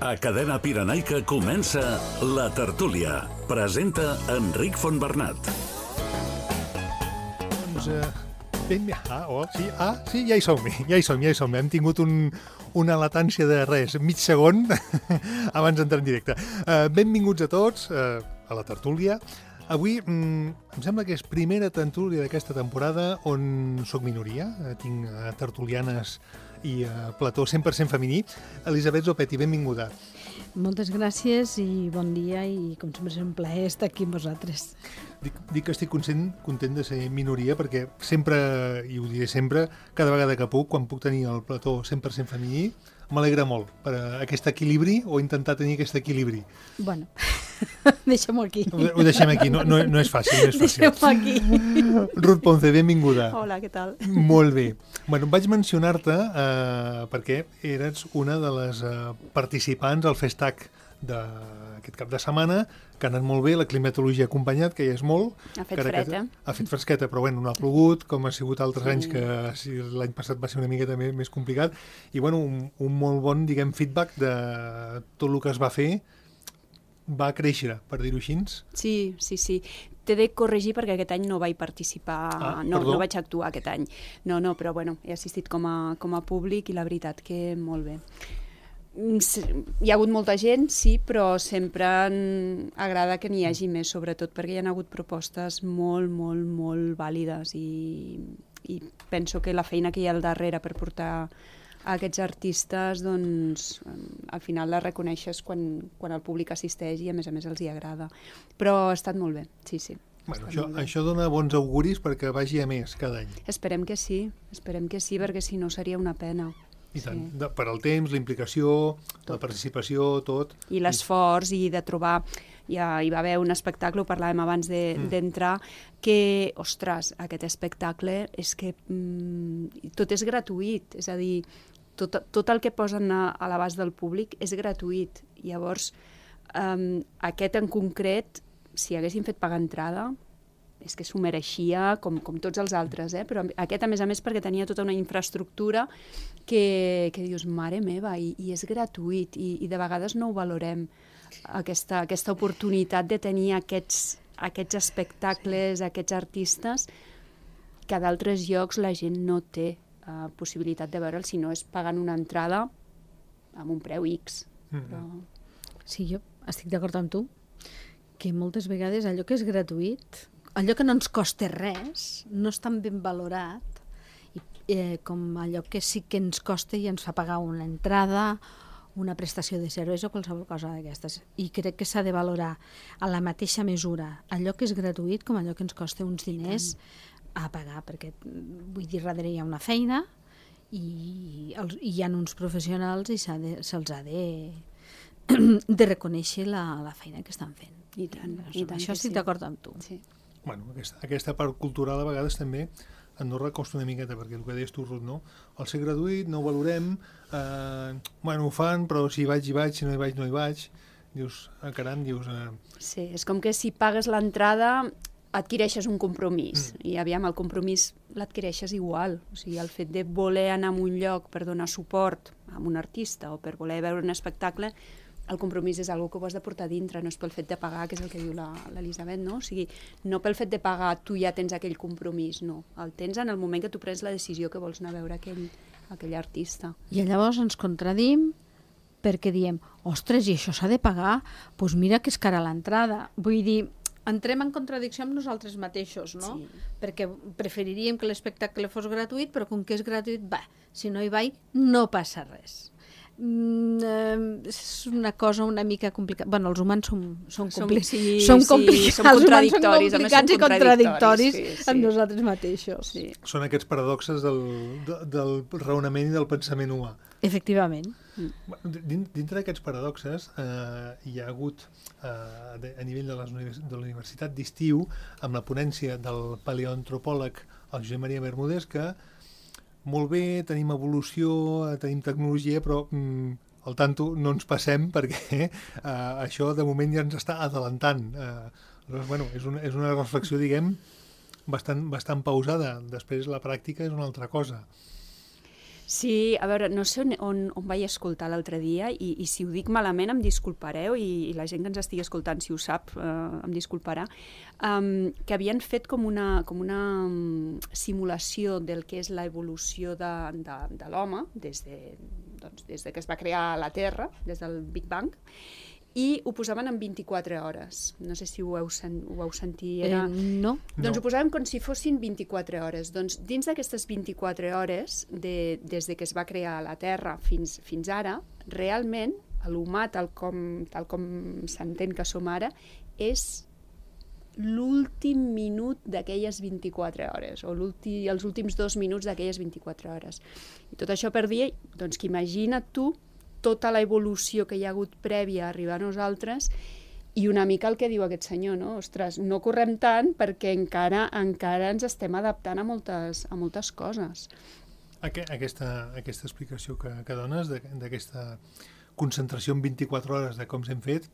A Cadena Pirenaica comença La Tertúlia. Presenta Enric Fontbernat. Doncs, sí, ja hi som. Hem tingut una latència de res, mig segon, abans d'entrar en directe. Benvinguts a tots a La Tertúlia. Avui em sembla que és primera tertúlia d'aquesta temporada on soc minoria. Tinc tertulianes i plató 100% femení. Elisabet Zopetti, benvinguda. Moltes gràcies i bon dia, i com sempre és un plaer estar aquí amb vosaltres. Dic que estic content de ser minoria perquè sempre, i ho diré sempre, cada vegada que puc, quan puc tenir el plató 100% femení, m'alegra molt per aquest equilibri o intentar tenir aquest equilibri. Bueno, deixem-ho aquí. Ho deixem aquí, no és fàcil. Deixem-ho aquí. Ruth Ponce, benvinguda. Hola, què tal? Molt bé. Bueno, vaig mencionar-te perquè eres una de les participants al Festac d'aquest cap de setmana, que ha anat molt bé, la climatologia ha acompanyat, que ja és molt. Ha fet fred, Ha fet fresqueta, però bueno, no ha plogut, com ha sigut altres anys, que l'any passat va ser una miqueta més complicat. I bueno, un molt bon, diguem, feedback de tot el que es va fer, va créixer, per dir-ho així. Sí. T'he de corregir perquè aquest any no vaig participar, no vaig actuar aquest any. No, però bueno, he assistit com a públic i la veritat que molt bé. Hi ha hagut molta gent, sí, però sempre agrada que n'hi hagi més, sobretot perquè hi ha hagut propostes molt vàlides i penso que la feina que hi ha al darrere per portar aquests artistes, doncs, al final la reconeixes quan el públic assisteix i a més els hi agrada. Però ha estat molt bé, sí. Bueno, això dona bons auguris perquè vagi a més cada any. Esperem que sí, perquè si no seria una pena. I tant, per al temps, la implicació, la participació, tot. I l'esforç, i de trobar... Ja hi va haver un espectacle, ho parlàvem abans d'entrar, que, ostres, aquest espectacle és que tot és gratuït, és a dir, tot el que posen a l'abast del públic és gratuït. Llavors, aquest en concret, si haguessin fet pagar entrada, és que s'ho mereixia com tots els altres, però aquest, a més, perquè tenia tota una infraestructura que dius, mare meva, i és gratuït, i de vegades no ho valorem, aquesta oportunitat de tenir aquests espectacles, aquests artistes, que a d'altres llocs la gent no té possibilitat de veure'l, si no és pagant una entrada amb un preu X. Però... Sí, jo estic d'acord amb tu, que moltes vegades allò que és gratuït, allò que no ens costa res, no és tan ben valorat com allò que sí que ens costa i ens fa pagar una entrada, una prestació de serveis o qualsevol cosa d'aquestes. I crec que s'ha de valorar a la mateixa mesura allò que és gratuït com allò que ens costa uns diners a pagar, perquè vull dir, darrere hi ha una feina i hi ha uns professionals i se'ls ha de reconèixer la feina que estan fent. I tant, això estic d'acord amb tu. Sí. Bueno, aquesta part cultural a vegades també a Andorra costa una miqueta, perquè el que deies tu, Ruth, no? Al ser gratuït no ho valorem, ho fan, però si hi vaig, si no hi vaig, no hi vaig. Dius, caram, Sí, és com que si pagues l'entrada adquireixes un compromís, i aviam, el compromís l'adquireixes igual. O sigui, el fet de voler anar a un lloc per donar suport a un artista o per voler veure un espectacle, el compromís és una cosa que ho has de portar dintre, no és pel fet de pagar, que és el que diu l'Elisabet, no? O sigui, no pel fet de pagar tu ja tens aquell compromís, no. El tens en el moment que tu prens la decisió que vols anar a veure aquell artista. I llavors ens contradim perquè diem, ostres, i això s'ha de pagar? Doncs mira que és cara l'entrada. Vull dir, entrem en contradicció amb nosaltres mateixos, no? Sí. Perquè preferiríem que l'espectacle fos gratuït, però com que és gratuït, si no hi vaig, no passa res. És una cosa una mica complicada. Bueno, els humans són complicats. Som contradictoris. Som complicats i contradictoris amb nosaltres mateixos. Sí. Són aquests paradoxes del raonament i del pensament humà. Efectivament. Dintre d'aquests paradoxes hi ha hagut a nivell de la Universitat d'Estiu, amb la ponència del paleoantropòleg el Josep Maria Bermúdez, que molt bé, tenim evolució, tenim tecnologia, però al tanto no ens passem perquè això de moment ja ens està adelantant. És una reflexió, diguem, bastant pausada. Després la pràctica és una altra cosa. Sí, a veure, no sé on vaig escoltar l'altre dia i si ho dic malament em disculpareu i la gent que ens estigui escoltant, si ho sap, em disculparà, que havien fet com una simulació del que és l'evolució de l'home des de que es va crear la Terra, des del Big Bang, i ho posaven en 24 hores. No sé si ho vau sentir. No. Doncs ho posàvem com si fossin 24 hores. Doncs dins d'aquestes 24 hores, des que es va crear la Terra fins ara, realment l'humà, tal com s'entén que som ara, és l'últim minut d'aquelles 24 hores, o els últims 2 minuts d'aquelles 24 hores. I tot això per dir, doncs, que imagina't tu tota la evolució que hi ha hagut prèvia a arribar a nosaltres i una mica el que diu aquest senyor, no? Ostres, no correm tant perquè encara ens estem adaptant a moltes coses. Aquesta explicació que dones, d'aquesta concentració en 24 hores de com s'hem fet,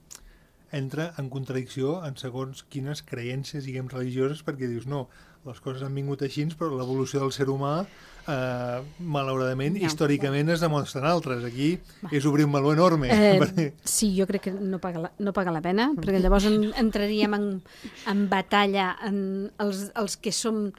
entra en contradicció en segons quines creences, diguem, religioses, perquè dius, no, les coses han vingut així, però l'evolució del ser humà, malauradament, històricament es demostren altres. Aquí és obrir un meló enorme. Sí, jo crec que no paga la pena, perquè llavors entraríem en batalla els que som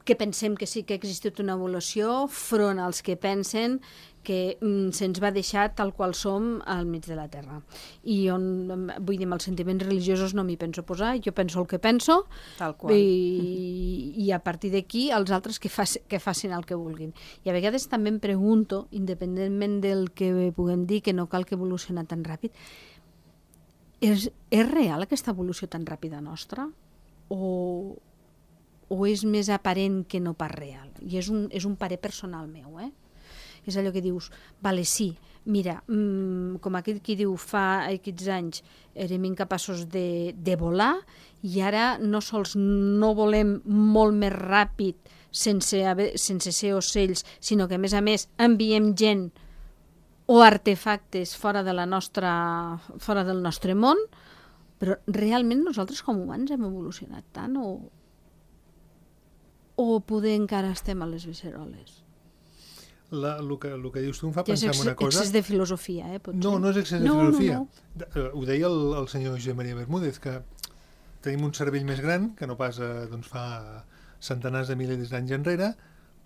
que pensem que sí que ha existit una evolució front als que pensen que se'ns va deixar tal qual som al mig de la Terra. I vull dir, amb els sentiments religiosos no m'hi penso posar, jo penso el que penso, tal qual. I a partir d'aquí els altres que facin el que vulguin. I a vegades també em pregunto, independentment del que puguem dir, que no cal que evolucioni tan ràpid, és real aquesta evolució tan ràpida nostra? O és més aparent que no pas real? I és un parer personal meu, És allò que dius, vale, sí, mira, com aquell qui diu fa aquests anys érem incapaços de volar i ara no sols no volem molt més ràpid sense ser ocells, sinó que a més enviem gent o artefactes fora del nostre món, però realment nosaltres com humans hem evolucionat tant o poder encara estem a les beceroles? El que dius tu em fa pensar en una cosa... És excés de filosofia, potser. No és excés de filosofia. Ho deia el senyor Josep Maria Bermúdez, que tenim un cervell més gran, que no pas fa centenars de milers d'anys enrere,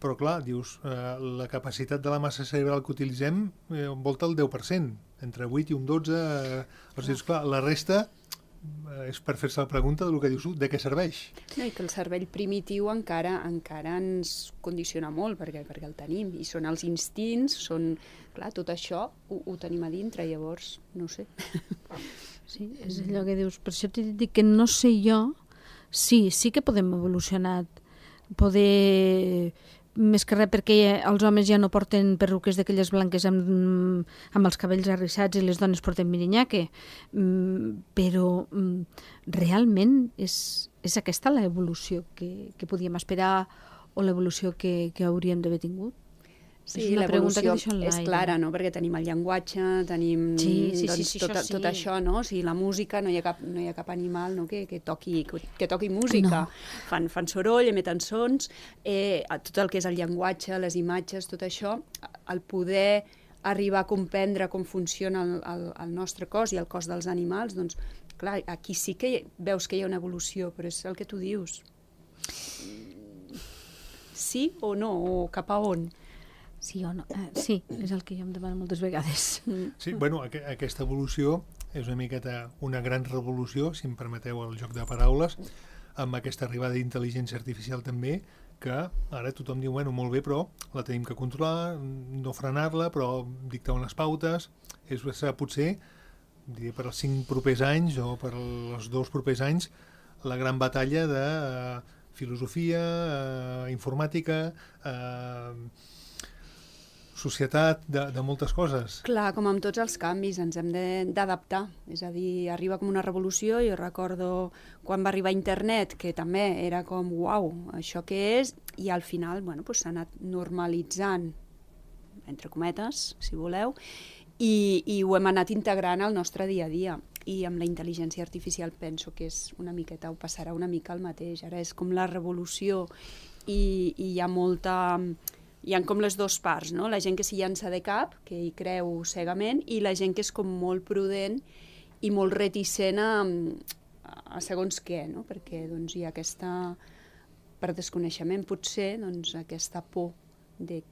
però clar, dius, la capacitat de la massa cerebral que utilitzem envolta el 10%, entre 8 i un 12%. Dius, clar, la resta és per fer-se la pregunta del que dius, de què serveix? No, i que el cervell primitiu encara ens condiciona molt, perquè el tenim, i són els instints, clar, tot això ho tenim a dintre, llavors, no sé. Sí, és allò que dius, per això t'he dit que no sé jo, sí que podem evolucionar, més que res perquè els homes ja no porten perruques d'aquelles blanques amb els cabells arrissats i les dones porten mirinyaque, però realment és aquesta l'evolució que podíem esperar o l'evolució que hauríem d'haver tingut? Sí, l'evolució és clara, no? Perquè tenim el llenguatge, tenim tot això, no? O sigui, la música, no hi ha cap animal, no? que toqui música. No. Fan soroll, emeten sons, tot el que és el llenguatge, les imatges, tot això, el poder arribar a comprendre com funciona el nostre cos i el cos dels animals, doncs, clar, aquí sí que veus que hi ha una evolució, però és el que tu dius. Sí o no? O cap a on? Sí o no? Sí, és el que jo em demano moltes vegades. Sí, bueno, aquesta evolució és una miqueta una gran revolució, si em permeteu el joc de paraules, amb aquesta arribada d'intel·ligència artificial també, que ara tothom diu, bueno, molt bé, però la tenim que controlar, no frenar-la, però dictar unes pautes. Serà potser, diré, per als 5 propers anys o per als 2 propers anys, la gran batalla de filosofia, informàtica, societat, de moltes coses. Clar, com amb tots els canvis, ens hem d'adaptar. És a dir, arriba com una revolució. Jo recordo quan va arribar internet, que també era com, uau, això què és? I al final, bueno, s'ha anat normalitzant, entre cometes, si voleu, i ho hem anat integrant al nostre dia a dia. I amb la intel·ligència artificial penso que és una miqueta, o passarà una mica el mateix. Ara és com la revolució i hi ha molta hi ha com les dues parts, no? La gent que s'hi llança de cap, que hi creu cegament, i la gent que és com molt prudent i molt reticent a segons què, no? Perquè doncs, hi ha aquesta, per desconeixement potser, doncs, aquesta por de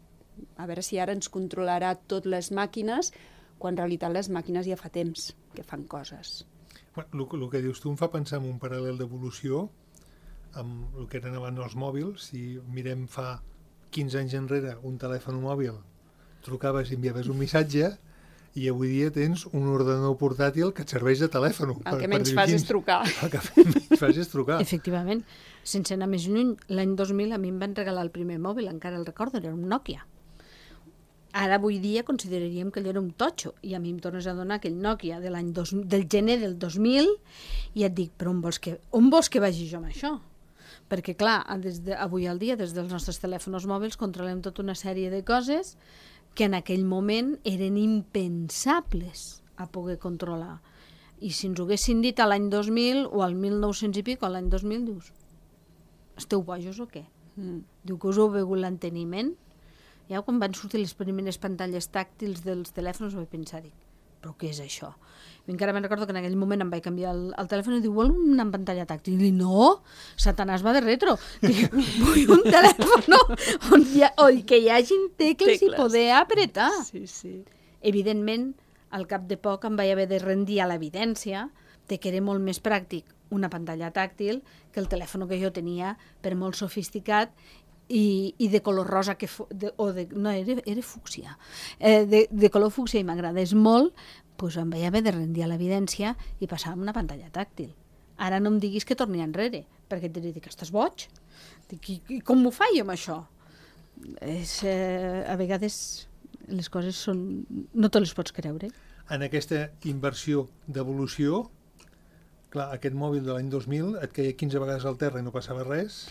a veure si ara ens controlarà tot les màquines, quan en realitat les màquines ja fa temps que fan coses. Bueno, el que dius tu em fa pensar en un paral·lel d'evolució amb el que eren abans els mòbils. Si mirem fa 15 anys enrere un telèfon mòbil, trucaves i enviaves un missatge, i avui dia tens un ordenador portàtil que et serveix de telèfon. El que menys fas és trucar. El que menys fas és trucar. Efectivament. Sense anar més lluny, l'any 2000 a mi em van regalar el primer mòbil, encara el recordo, era un Nokia. Ara, avui dia, consideraríem que allò era un totxo, i a mi em tornes a donar aquell Nokia del gener del 2000, i et dic, però on vols que vagi jo amb això? Perquè, clar, avui al dia, des dels nostres telèfons mòbils, controlem tota una sèrie de coses que en aquell moment eren impensables a poder controlar. I si ens ho haguessin dit a l'any 2000 o al 1900 i pico, a l'any 2000, dius, esteu bojos o què? Diu que us heu begut l'enteniment. Ja quan van sortir les primeres pantalles tàctils dels telèfons vaig pensar, però què és això? I encara me'n recordo que en aquell moment em vaig canviar el telèfon i diu, vol una pantalla tàctil? I dic, no, Satanàs va de retro. Dic, vull un telèfon on que hi hagin tecles i poder apretar. Sí, sí. Evidentment, al cap de poc em vaig haver de rendir a l'evidència de que era molt més pràctic una pantalla tàctil que el telèfon que jo tenia, per molt sofisticat, i de color rosa, no, era fúcsia, de color fúcsia, i m'agradés molt, doncs em vaig haver de rendir a l'evidència i passar a una pantalla tàctil. Ara no em diguis que torni enrere, perquè et diré que estàs boig. I com m'ho faig amb això? A vegades les coses són... no te les pots creure. En aquesta inversió d'evolució, clar, aquest mòbil de l'any 2000 et caia 15 vegades al terra i no passava res,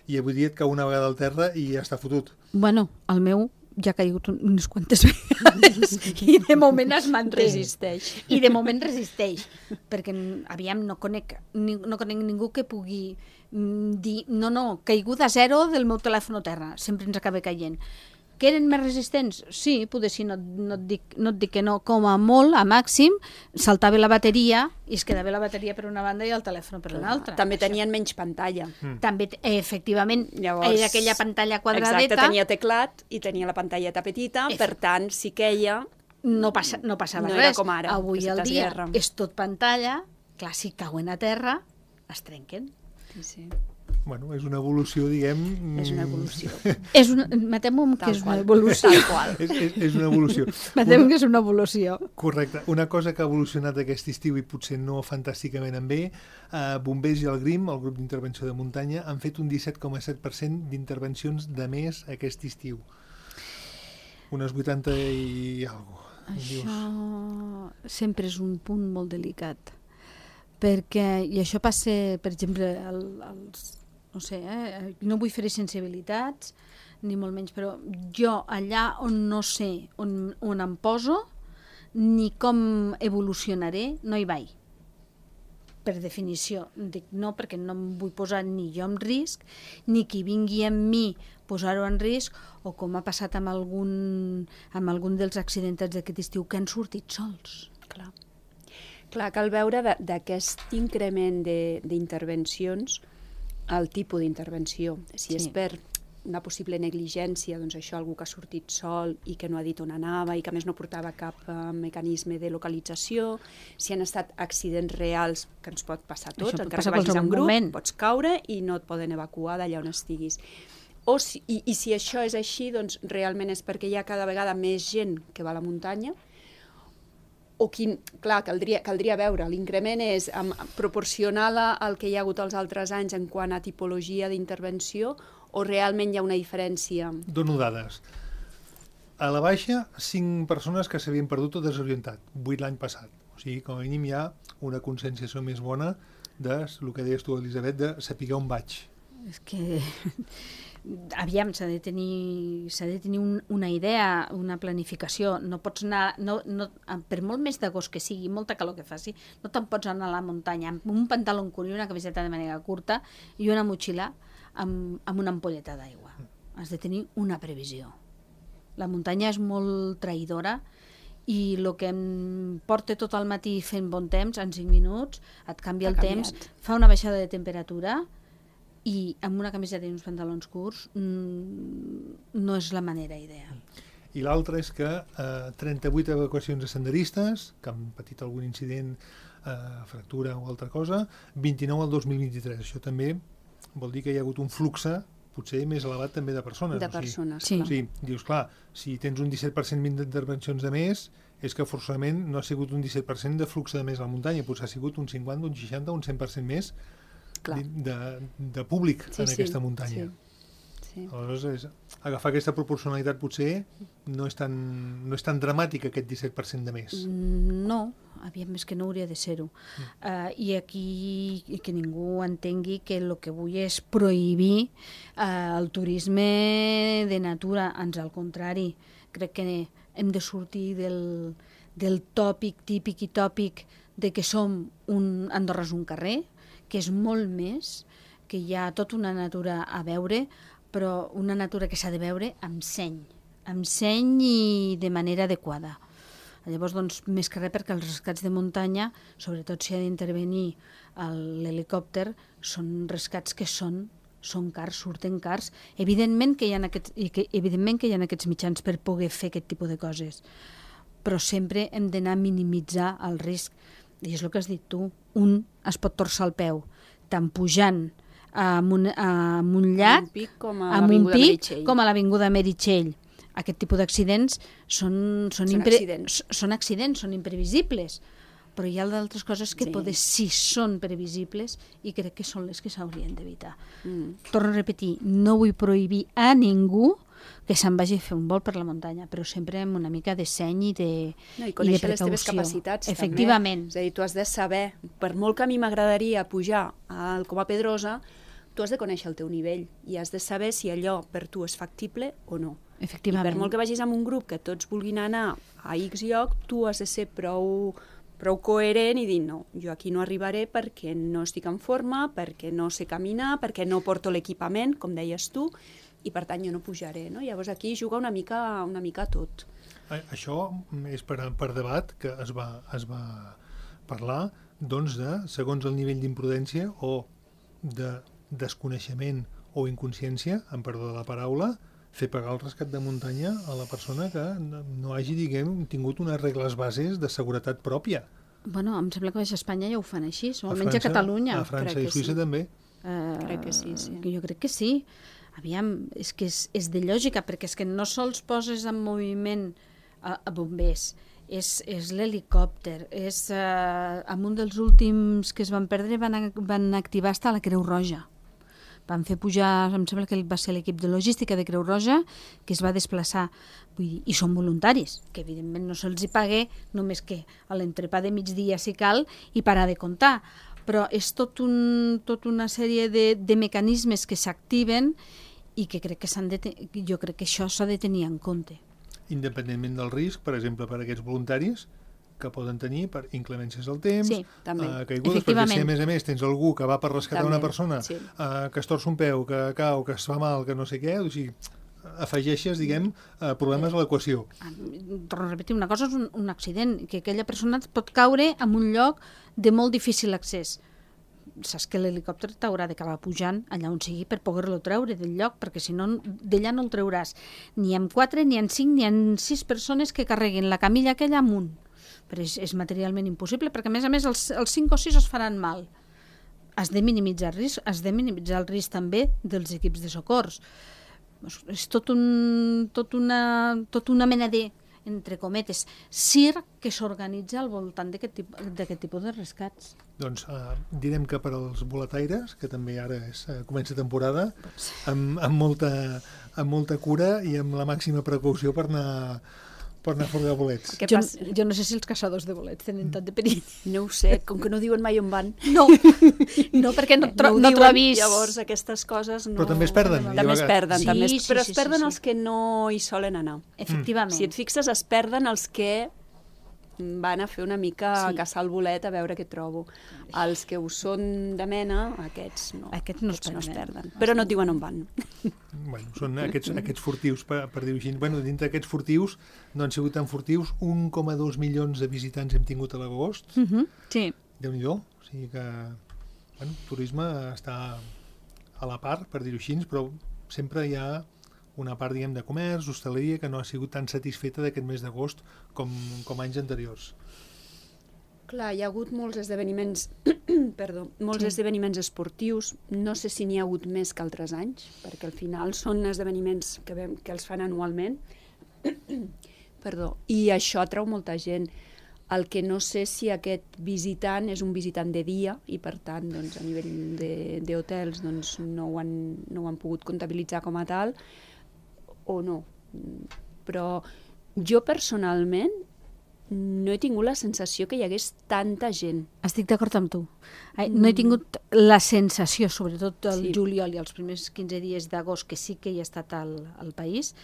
i avui dia et cau una vegada al terra i ja està fotut. Bueno, el meu ja ha caigut unes quantes vegades i de moment es manté. Resisteix. I de moment resisteix, perquè aviam, no conec ningú que pugui dir no, caiguda zero del meu telèfon a terra, sempre ens acaba caient. Que eren més resistents? Sí, potser sí, no et dic que no, com a molt, a màxim, saltava la bateria i es quedava la bateria per una banda i el telèfon per una altra. També tenien menys pantalla. També, efectivament, llavors, era aquella pantalla quadradeta. Exacte, tenia teclat i tenia la pantalleta petita, per tant, si queia... No passava no res. Com ara, avui al dia és tot pantalla, clar, si cauen a terra, es trenquen. Sí. Bueno, és una evolució, diguem... És una evolució. Matem-ho que és una evolució. Tal qual. És una evolució. Matem que és una evolució. Correcte. Una cosa que ha evolucionat aquest estiu i potser no fantàsticament en bé, Bombers i el GRIM, el grup d'intervenció de muntanya, han fet un 17,7% d'intervencions de més aquest estiu. Unes 80 i alguna cosa. Això sempre és un punt molt delicat. Perquè, i això passa, per exemple, no sé, no vull fer sensibilitats, ni molt menys, però jo allà on no sé on em poso, ni com evolucionaré, no hi vaig. Per definició. Dic no, perquè no em vull posar ni jo en risc, ni qui vingui amb mi posar-ho en risc, o com ha passat amb algun dels accidentats d'aquest estiu que han sortit sols. Clar, cal veure d'aquest increment d'intervencions el tipus d'intervenció. Si és per una possible negligència, doncs això, algú que ha sortit sol i que no ha dit on anava i que a més no portava cap mecanisme de localització, si han estat accidents reals, que ens pot passar tot, encara que vagis en grup, pots caure i no et poden evacuar d'allà on estiguis. I si això és així, doncs realment és perquè hi ha cada vegada més gent que va a la muntanya, o clar, caldria veure, l'increment és proporcional al que hi ha hagut els altres anys en quant a tipologia d'intervenció, o realment hi ha una diferència? Dono dades. A la baixa, 5 persones que s'havien perdut o desorientat, 8 l'any passat. O sigui, com a mínim hi ha una conscienciació més bona de, el que deies tu, Elisabet, de saber on vaig. És que... Aviam, s'ha de tenir una idea, una planificació. No pots anar, per molt més d'agost que sigui, molta calor que faci, no te'n pots anar a la muntanya amb un pantaló curt i una camiseta de màniga curta i una motxilla amb una ampolleta d'aigua. Has de tenir una previsió. La muntanya és molt traïdora i el que em porta tot el matí fent bon temps, en 5 minuts, et canvia el temps, fa una baixada de temperatura i amb una camiseta i uns pantalons curts no és la manera ideal. I l'altre és que 38 evacuacions de senderistes, que han patit algun incident, fractura o altra cosa, 29 al 2023. Això també vol dir que hi ha hagut un flux potser més elevat també de persones. De persones, sí. O sigui, dius, clar, si tens un 17% d'intervencions de més, és que forçosament no ha sigut un 17% de flux de més a la muntanya, potser ha sigut un 50, un 60, un 100% més de públic en aquesta muntanya. Sí. Aleshores, agafar aquesta proporcionalitat potser no és tan dramàtic, aquest 17% de més. No, aviam, és que no hauria de ser-ho. I aquí que ningú entengui que el que vull és prohibir el turisme de natura, ans al contrari. Crec que hem de sortir del tòpic, típic i tòpic de que som Andorra és un carrer, que és molt més, que hi ha tota una natura a veure, però una natura que s'ha de veure amb seny i de manera adequada. Llavors, doncs, més que res perquè els rescats de muntanya, sobretot si ha d'intervenir l'helicòpter, són rescats que són cars, surten cars. Evidentment que hi ha aquests mitjans per poder fer aquest tipus de coses, però sempre hem d'anar a minimitzar el risc. I és el que has dit tu, un es pot torçar el peu, tant pujant amb un llac, amb un pic, com a l'Avinguda Meritxell. Aquest tipus d'accidents són accidents, són imprevisibles, però hi ha d'altres coses que poder sí són previsibles i crec que són les que s'haurien d'evitar. Torno a repetir, no vull prohibir a ningú que se'n vagi a fer un vol per la muntanya, però sempre amb una mica de seny i de precaució. I conèixer les teves capacitats, efectivament. També. És a dir, tu has de saber, per molt que a mi m'agradaria pujar al Coma Pedrosa, tu has de conèixer el teu nivell i has de saber si allò per tu és factible o no. Efectivament. I per molt que vagis amb un grup que tots vulguin anar a X lloc, tu has de ser prou coherent i dir, no, jo aquí no arribaré perquè no estic en forma, perquè no sé caminar, perquè no porto l'equipament, com deies tu, i per tant jo no pujaré. No? Llavors aquí juga una mica tot. Això és per debat que es va parlar doncs, de, segons el nivell d'imprudència o de desconeixement o inconsciència, en perdó de la paraula, fer pagar el rescat de muntanya a la persona que no hagi, tingut unes regles bases de seguretat pròpia. Bueno, em sembla que a Espanya ja ho fan així, o almenys a Catalunya. A França i Suïssa també. Crec que sí. Jo crec que sí. Aviam, és que és de lògica, perquè és que no sols poses en moviment a bombers, és l'helicòpter, en un dels últims que es van perdre van activar hasta la Creu Roja. Van fer pujar, em sembla que va ser l'equip de logística de Creu Roja, que es va desplaçar. Vull dir, i són voluntaris, que evidentment no se'ls hi pague, només que a l'entrepà de migdia si cal i parar de comptar. Però és tot una sèrie de mecanismes que s'activen i que jo crec que això s'ha de tenir en compte. Independentment del risc, per exemple, per a aquests voluntaris, que poden tenir per inclemències del temps, caigudes, perquè si a més tens algú que va per rescatar una persona, que es torça un peu, que cau, que es fa mal, que no sé què, o sigui, afegeixes, problemes a l'equació. Torno a repetir, una cosa és un accident, que aquella persona pot caure en un lloc de molt difícil accés. Saps que l'helicòpter t'haurà d'acabar pujant allà on sigui per poder-lo treure del lloc, perquè si no, d'allà no el treuràs. Ni amb 4, ni amb 5, ni amb 6 persones que carreguin la camilla aquella amunt. Però és materialment impossible, perquè a més els 5 o 6 es faran mal. Has de minimitzar el risc, has de minimitzar el risc també dels equips de socors. És tot una mena de, entre cometes, circ que s'organitza al voltant d'aquest tipus de rescats. Doncs direm que per als boletaires, que també ara comença temporada, amb molta cura i amb la màxima precaució per anar a furgar bolets. Jo no sé si els caçadors de bolets tenen tant de perill. No ho sé, com que no diuen mai on van. No, perquè no trobis. Llavors aquestes coses no... Però també es perden. També es perden, però es perden els que no hi solen anar. Efectivament. Si et fixes, es perden els que van a fer una mica a caçar el bolet a veure què trobo. Els que ho són de mena, aquests no. Aquests no es es perden. Però no et diuen on van. Bueno, són aquests furtius, per dir-ho així. Bueno, dintre d'aquests furtius no han sigut tan furtius. 1,2 milions de visitants hem tingut a l'agost. Sí. Déu-n'hi-do. O sigui que, bueno, el turisme està a la part, per dir-ho així, però sempre hi ha una part, diguem, de comerç, hostaleria, que no ha sigut tan satisfeta d'aquest mes d'agost com anys anteriors. Clar, hi ha hagut molts esdeveniments, esdeveniments esportius. No sé si n'hi ha hagut més que altres anys, perquè al final són esdeveniments que els fan anualment. I això atrau molta gent. El que no sé si aquest visitant és un visitant de dia i, per tant, doncs, a nivell d'hotels doncs, no ho han pogut comptabilitzar com a tal, o no. Però jo personalment no he tingut la sensació que hi hagués tanta gent. Estic d'acord amb tu. No he tingut la sensació, sobretot el juliol i els primers 15 dies d'agost, que sí que hi ha estat al país,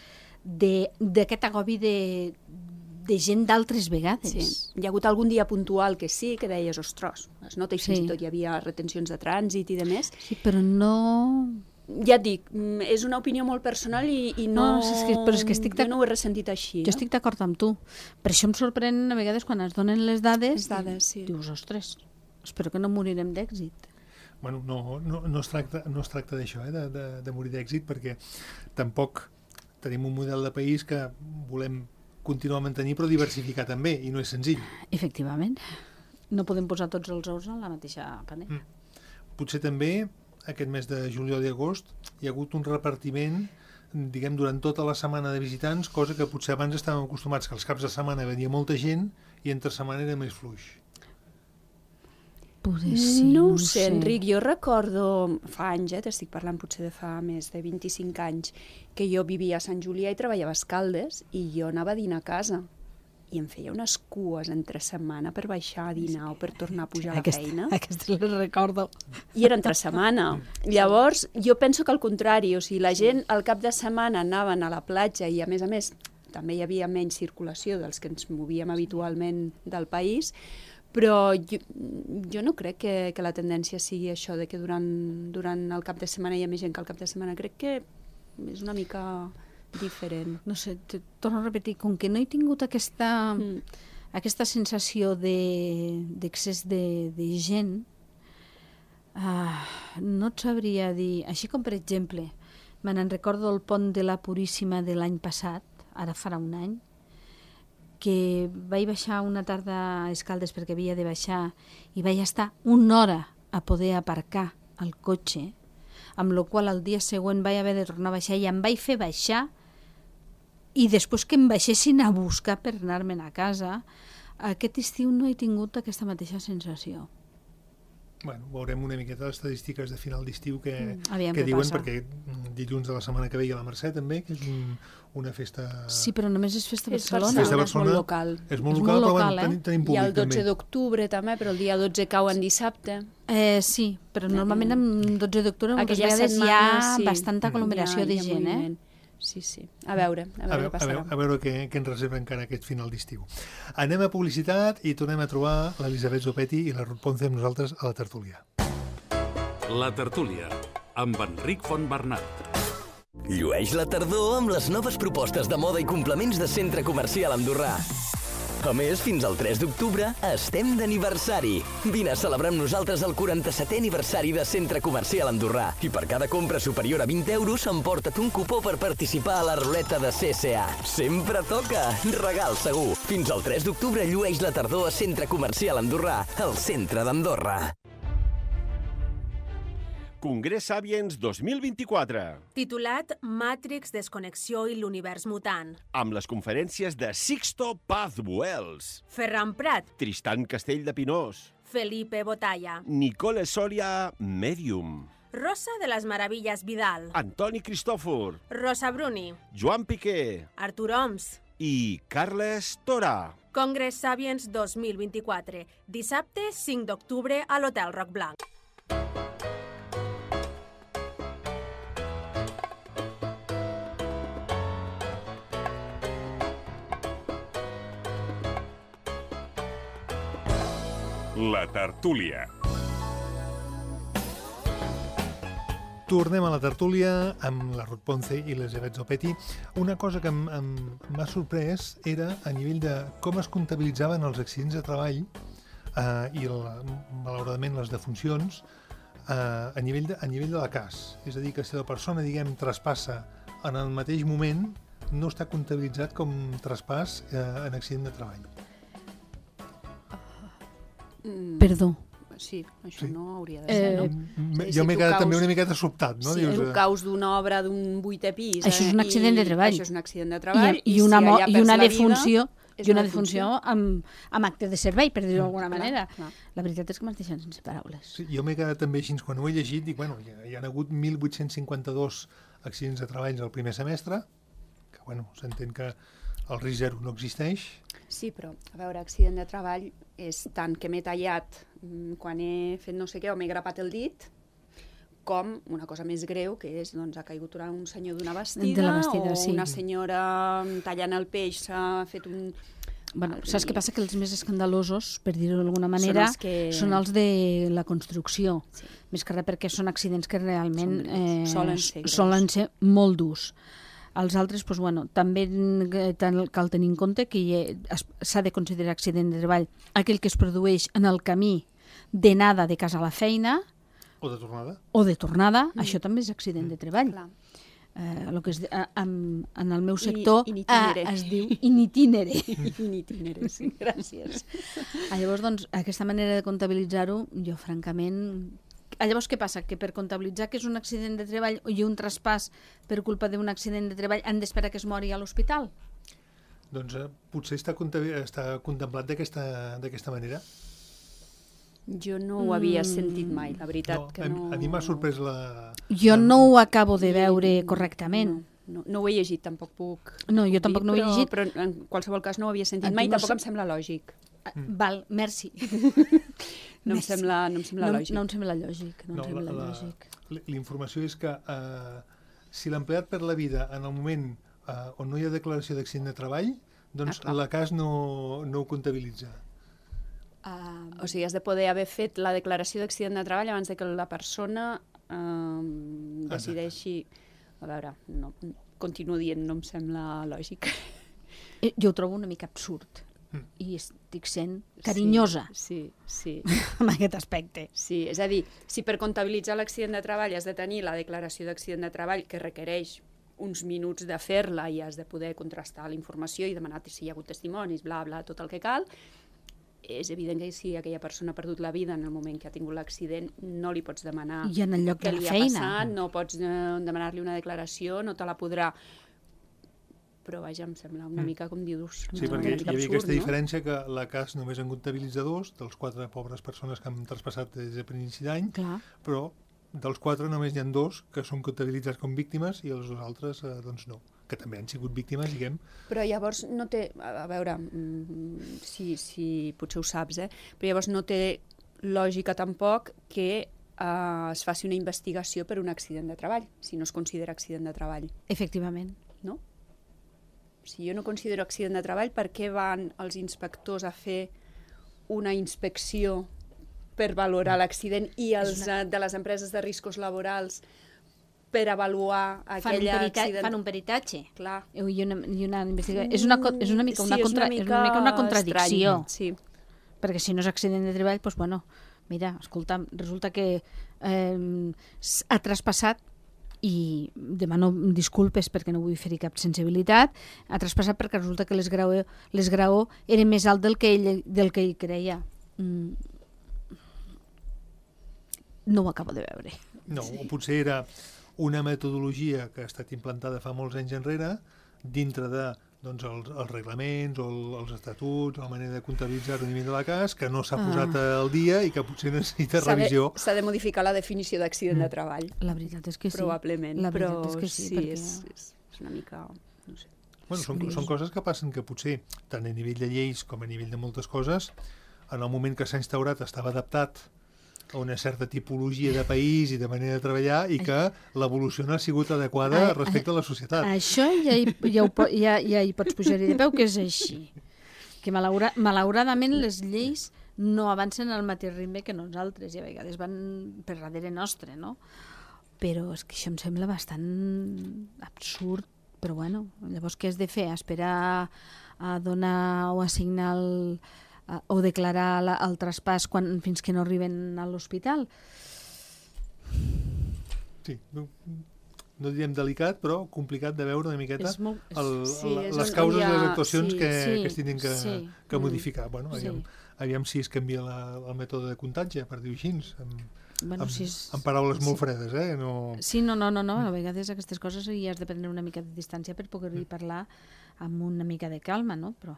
d'aquest agobi de gent d'altres vegades. Sí. Hi ha hagut algun dia puntual que sí, que deies, ostres, es nota, i fins i tot hi havia retencions de trànsit i de més. Sí, però no... Ja et dic, és una opinió molt personal i no... Però és que jo no ho he ressentit així. Jo estic d'acord amb tu. Per això em sorprèn a vegades quan es donen les dades, sí. Dius, ostres, espero que no morirem d'èxit. Bueno, no es tracta d'això, de morir d'èxit, perquè tampoc tenim un model de país que volem continuar a mantenir, però diversificar també, i no és senzill. Efectivament. No podem posar tots els ous en la mateixa panera. Potser també aquest mes de juliol i agost hi ha hagut un repartiment, diguem, durant tota la setmana de visitants, cosa que potser abans estàvem acostumats, que els caps de setmana venia molta gent i entre setmana era més fluix. No ho sé, Enric, jo recordo fa anys, t'estic parlant potser de fa més de 25 anys, que jo vivia a Sant Julià i treballava a Escaldes i jo anava a dinar a casa i em feia unes cues entre setmana per baixar a dinar o per tornar a pujar a la feina. Aquesta les recordo. I era entre setmana. Llavors, jo penso que al contrari, o sigui, la gent al cap de setmana anaven a la platja i, a més, també hi havia menys circulació dels que ens movíem habitualment del país, però jo no crec que la tendència sigui això, de que durant el cap de setmana hi ha més gent que al cap de setmana. Crec que és una mica diferent. No sé, torno a repetir, com que no he tingut aquesta sensació d'excés de gent, no et sabria dir. Així com, per exemple, me n'en recordo el pont de la Puríssima de l'any passat, ara farà un any, que vaig baixar una tarda a Escaldes perquè havia de baixar i vaig estar una hora a poder aparcar el cotxe, amb la qual el dia següent vaig haver de tornar a baixar i em vaig fer baixar i després que em baixessin a buscar per anar-me'n a casa. Aquest estiu no he tingut aquesta mateixa sensació. Bueno, veurem una miqueta les estadístiques de final d'estiu que passa. diuen, perquè dilluns de la setmana que ve hi ha la Mercè també, que és una festa... Sí, però només és festa a Barcelona. És molt local. És molt local, però bueno, tenim públic. I el 12 d'octubre també, però el dia 12 cau en dissabte. Sí, però normalment el 12 d'octubre moltes vegades hi ha bastanta aglomeració de gent, Sí. A veure què passarà. A veure què ens reserva encara aquest final d'estiu. Anem a publicitat i tornem a trobar l'Elisabet Zopetti i la Ruth Ponce amb nosaltres a la tertúlia. La tertúlia, amb Enric Fontbernat. Llueix la tardor amb les noves propostes de moda i complements de Centre Comercial Andorrà. A més, fins al 3 d'octubre estem d'aniversari. Vine a celebrar amb nosaltres el 47è aniversari de Centre Comercial Andorrà. I per cada compra superior a 20 euros emporta't un cupó per participar a la ruleta de CSA. Sempre toca! Regal segur! Fins al 3 d'octubre llueix la tardor a Centre Comercial Andorrà, al centre d'Andorra. Congrés Sapiens 2024. Titulat Matrix, Desconnexió i l'univers mutant. Amb les conferències de Sixto Paz Buells, Ferran Prat, Tristan Castell de Pinós, Felipe Botalla, Nicole Soria, Medium, Rosa de les Meravilles Vidal, Antoni Cristòfor, Rosa Bruni, Joan Piqué Artur Oms i Carles Tora. Congrés Sapiens 2024. Dissabte 5 d'octubre a l'Hotel Roc Blanc. La tertúlia. Tornem a la tertúlia amb la Ruth Ponce i l'Elisabet Zopetti. Una cosa que m'ha sorprès era a nivell de com es comptabilitzaven els accidents de treball i malauradament les defuncions a nivell de la CAS. És a dir, que si la persona, diguem, traspassa en el mateix moment, no està comptabilitzat com traspàs en accident de treball. Perdó. Sí, això no hauria de ser, no? Jo m'he quedat també una miqueta sobtat, no? Si tu caus d'una obra d'un 8è pis... Això és un accident de treball. Això és un accident de treball. I una defunció amb acte de servei, per dir-ho d'alguna manera. La veritat és que m'has deixat sense paraules. Sí, jo m'he quedat també així, quan ho he llegit, dic, bueno, hi ha hagut 1.852 accidents de treball al primer semestre, que, bueno, s'entén que el risc zero no existeix. Sí, però, a veure, accident de treball és tant que m'he tallat quan he fet no sé què o m'he grapat el dit, com una cosa més greu, que és, doncs, ha caigut un senyor d'una bastida, o sí. Una senyora tallant el peix s'ha fet un... Bueno, saps què passa? Que els més escandalosos, per dir-ho d'alguna manera, són els de la construcció. Sí. Més que res perquè són accidents que realment solen ser molt durs. Els altres, doncs, bueno, també cal tenir en compte que s'ha de considerar accident de treball aquell que es produeix en el camí d'anada de casa a la feina o de tornada. Això també és accident de treball. El que en el meu sector es diu in itinere. In itinere, sí, gràcies. Llavors, doncs, aquesta manera de comptabilitzar-ho, jo francament... Llavors, què passa? Que per comptabilitzar que és un accident de treball i un traspàs per culpa d'un accident de treball han d'esperar que es mori a l'hospital? Doncs potser està contemplat d'aquesta manera. Jo no ho havia sentit mai, la veritat que no... A mi m'ha sorprès la... Jo no ho acabo de veure correctament. No ho he llegit, tampoc puc... No, jo tampoc no ho he llegit. Però en qualsevol cas no ho havia sentit mai, tampoc em sembla lògic. Val, merci. No em sembla lògic. No em sembla lògic. La informació és que si l'empleat perd la vida en el moment on no hi ha declaració d'accident de treball, doncs la CAS no ho comptabilitza. O sigui, has de poder haver fet la declaració d'accident de treball abans de que la persona decideixi... A veure, continuo dient, no em sembla lògic. Jo ho trobo una mica absurd. I estic sent carinyosa en aquest aspecte. Sí, és a dir, si per comptabilitzar l'accident de treball has de tenir la declaració d'accident de treball que requereix uns minuts de fer-la i has de poder contrastar la informació i demanar si hi ha hagut testimonis, bla, bla, tot el que cal, és evident que si aquella persona ha perdut la vida en el moment que ha tingut l'accident, no li pots demanar què li ha passat, no pots demanar-li una declaració, no te la podrà... Però, vaja, em sembla una mica, com dius... Sí, perquè hi havia aquesta diferència que la CAS només en comptabilitza 2 dels 4 pobres persones que han traspassat des de l'inici d'any, però dels 4 només n'hi ha 2 que són comptabilitzats com víctimes i els 2 altres, doncs no, que també han sigut víctimes, diguem. Però llavors no té... A veure, si potser ho saps, però llavors no té lògica tampoc que es faci una investigació per un accident de treball, si no es considera accident de treball. Efectivament. No? Si jo no considero accident de treball, per què van els inspectors a fer una inspecció per valorar l'accident i els de les empreses de riscos laborals per avaluar aquell accident? Fan un peritatge. Clar. I una investigació. És una mica una contradicció. Sí. Perquè si no és accident de treball, doncs, bueno, mira, escolta, resulta que ha traspassat, i demano disculpes perquè no vull fer cap sensibilitat, ha traspassat perquè resulta que l'esgraó era més alt del que ell creia. No ho acabo de veure. No, potser era una metodologia que ha estat implantada fa molts anys enrere dintre de els reglaments o els estatuts o la manera de comptabilitzar-ho a nivell de la CAS, que no s'ha posat al dia i que potser necessita revisió. S'ha de modificar la definició d'accident de treball. La veritat és que sí. Probablement, però sí, és una mica... no sé. Bueno, són coses que passen que potser, tant a nivell de lleis com a nivell de moltes coses, en el moment que s'ha instaurat estava adaptat a una certa tipologia de país i de manera de treballar i que l'evolució no ha sigut adequada respecte a la societat. Això ja hi pots pujar-hi de peu, que és així. Que malauradament les lleis no avancen al mateix ritme que nosaltres i a vegades van per darrere nostre, no? Però és que això em sembla bastant absurd, però bueno, llavors què has de fer? Esperar a donar o a signar o declarar el traspàs fins que no arriben a l'hospital? Sí, no diríem delicat, però complicat de veure una miqueta les causes i les actuacions que es tenen que modificar. Bueno, aviam si es canvia el mètode de contagi, per dir-ho així, amb paraules molt fredes. Sí, no, a vegades aquestes coses hi has de prendre una mica de distància per poder-hi parlar amb una mica de calma, no? Però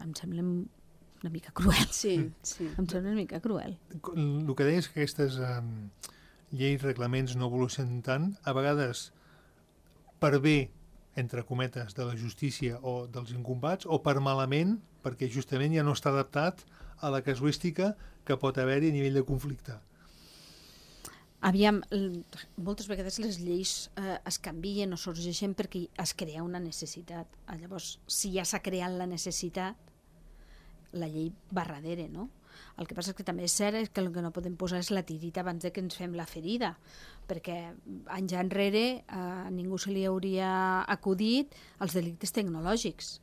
em sembla una mica cruel. Sí. Em sembla una mica cruel. El que deies que aquestes lleis, reglaments no evolucionen tant, a vegades per bé, entre cometes, de la justícia o dels incompats, o per malament, perquè justament ja no està adaptat a la casuística que pot haver-hi a nivell de conflicte. Aviam, moltes vegades les lleis es canvien o sorgeixen perquè es crea una necessitat. Llavors, si ja s'ha creat la necessitat, la llei va darrere, no? El que passa és que també és cert que el que no podem posar és la tirita abans de que ens fem la ferida, perquè anys enrere a ningú se li hauria acudit els delictes tecnològics.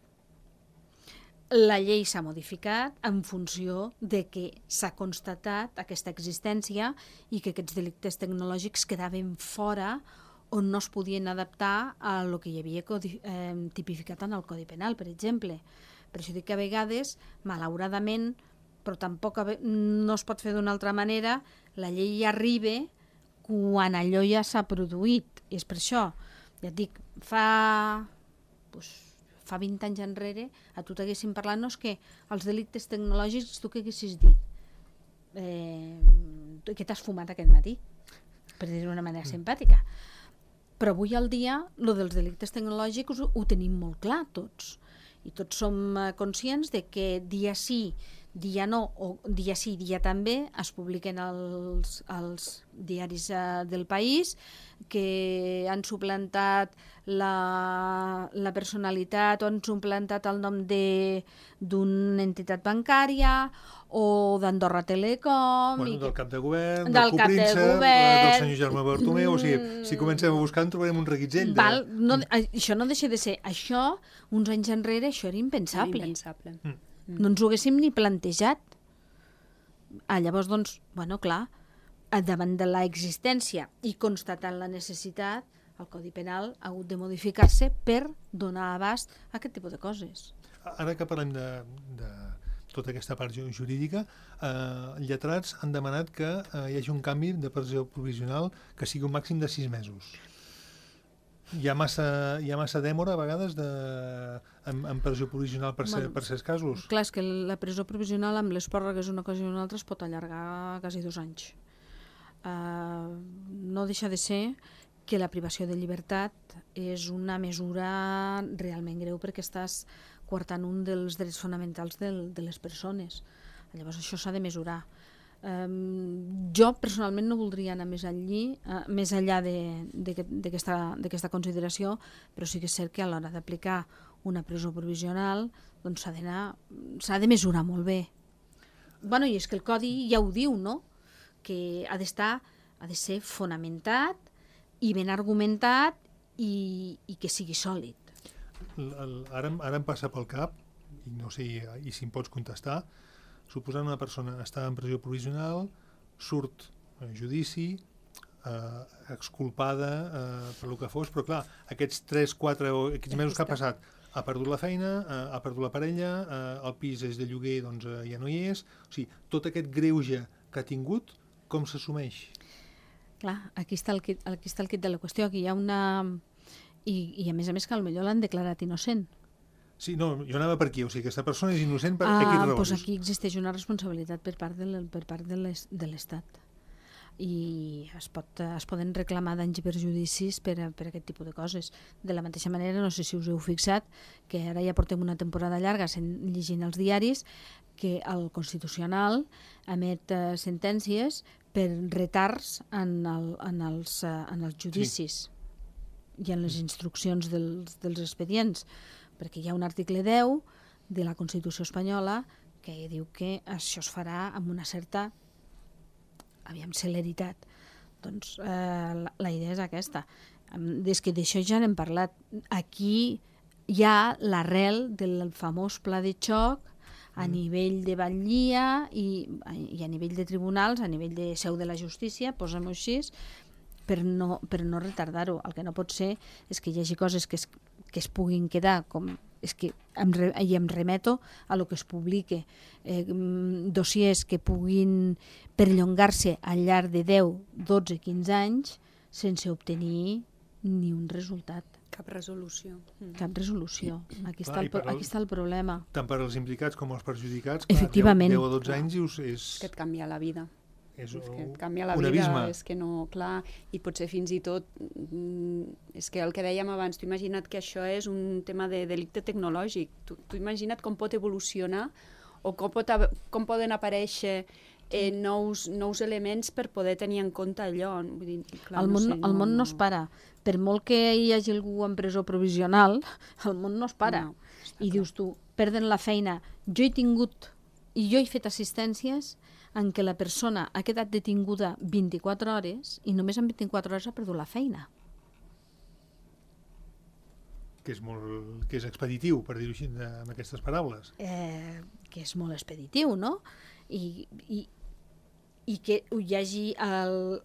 La llei s'ha modificat en funció de que s'ha constatat aquesta existència i que aquests delictes tecnològics quedaven fora on no es podien adaptar a lo que hi havia tipificat en el Codi Penal, per exemple. Per això dic que a vegades, malauradament, però tampoc no es pot fer d'una altra manera, la llei arriba quan allò ja s'ha produït. I és per això, ja et dic, fa 20 anys enrere, a tu t'haguessin parlat, no és que els delictes tecnològics tu què haguessis dit? Què t'has fumat aquest matí? Per dir-ho d'una manera simpàtica. Però avui al dia, lo dels delictes tecnològics ho tenim molt clar tots. I tots som conscients de que dia sí, dia no, o dia sí, dia també, es publiquen als diaris del país, que han suplantat la personalitat o han suplantat el nom d'una entitat bancària o d'Andorra Telecom... Del cap de govern, del copríncep, del senyor Jaume Bartomeu... O sigui, si comencem a buscar en trobarem un reguitzell. Això no deixa de ser... Això, uns anys enrere, això era impensable. No ens ho haguéssim ni plantejat. Llavors, doncs, bueno, clar, davant de l'existència i constatant la necessitat, el Codi Penal ha hagut de modificar-se per donar abast a aquest tipus de coses. Ara que parlem de tota aquesta part jurídica, lletrats han demanat que hi hagi un canvi de presó provisional que sigui un màxim de 6 mesos. Hi ha massa dèmora a vegades en presó provisional per certs casos? Clar, és que la presó provisional amb les pròrrogues una cosa i una altra es pot allargar quasi 2 anys. No deixa de ser que la privació de llibertat és una mesura realment greu perquè estàs coartant un dels drets fonamentals de les persones. Llavors això s'ha de mesurar. Jo personalment no voldria anar més enllà d'aquesta consideració, però sí que és cert que a l'hora d'aplicar una presó provisional doncs s'ha de mesurar molt bé. Bueno, i és que el Codi ja ho diu, no? Que ha de ser fonamentat i ben argumentat i que sigui sòlid. Ara em passa pel cap, i no sé si em pots contestar, suposant una persona està en presó provisional, surt a judici, exculpada per el que fos, però clar, aquests 3, 4 o aquests mesos que ha passat, ha perdut la feina, ha perdut la parella, el pis és de lloguer, doncs ja no hi és. O sigui, tot aquest greuge que ha tingut, com s'assumeix? Clar, aquí està el quid de la qüestió. Aquí hi ha una... I a més que potser l'han declarat innocent. Sí, no, jo anava per aquí. O sigui, aquesta persona és innocent per X raons. Doncs aquí existeix una responsabilitat per part de l'Estat. I es poden reclamar danys i perjudicis per aquest tipus de coses. De la mateixa manera, no sé si us heu fixat, que ara ja portem una temporada llarga llegint els diaris, que el Constitucional emet sentències per retards en els judicis i en les instruccions dels expedients, perquè hi ha un article 10 de la Constitució espanyola que diu que això es farà amb una certa celeritat. Doncs la idea és aquesta. Des que d'això ja n'hem parlat. Aquí hi ha l'arrel del famós pla de xoc a nivell de batllia i a nivell de tribunals, a nivell de seu de la justícia, posem-ho així, per no retardar-ho. El que no pot ser és que hi hagi coses que es puguin quedar com... i em remeto a lo que es publique, dossiers que puguin perllongar-se al llarg de 10, 12, 15 anys sense obtenir ni un resultat. Cap resolució. Cap resolució. Aquí està el problema. Tant per als implicats com als perjudicats, efectivament, 10 o 12 anys és... Que et canvia la vida. És que et canvia la un vida, abisme. és que no, clar, i potser fins i tot, és que el que dèiem abans, tu imagina't que això és un tema de delicte tecnològic, tu imagina't com pot evolucionar o com poden aparèixer nous elements per poder tenir en compte allò. Vull dir, clar, el món no es para. Per molt que hi hagi algú en presó provisional, el món no es para. No, i dius tu, perden la feina. Jo he fet assistències en què la persona ha quedat detinguda 24 hores i només en 24 hores ha perdut la feina. Que és expeditiu, per dir-ho així, amb aquestes paraules. Que és molt expeditiu, no? I que hi hagi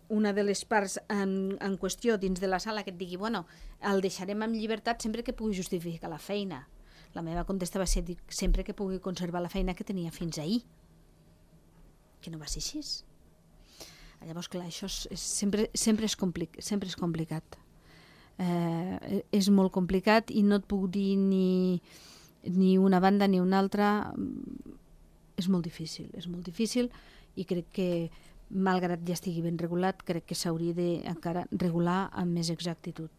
una de les parts en qüestió dins de la sala que et digui, bueno, el deixarem en llibertat sempre que pugui justificar la feina. La meva contesta va ser sempre que pugui conservar la feina que tenia fins ahir. Que no va ser així. Llavors, clar, això sempre és complicat. És molt complicat i no et puc dir ni una banda ni una altra. És molt difícil i crec que, malgrat ja estigui ben regulat, crec que s'hauria d'encara regular amb més exactitud.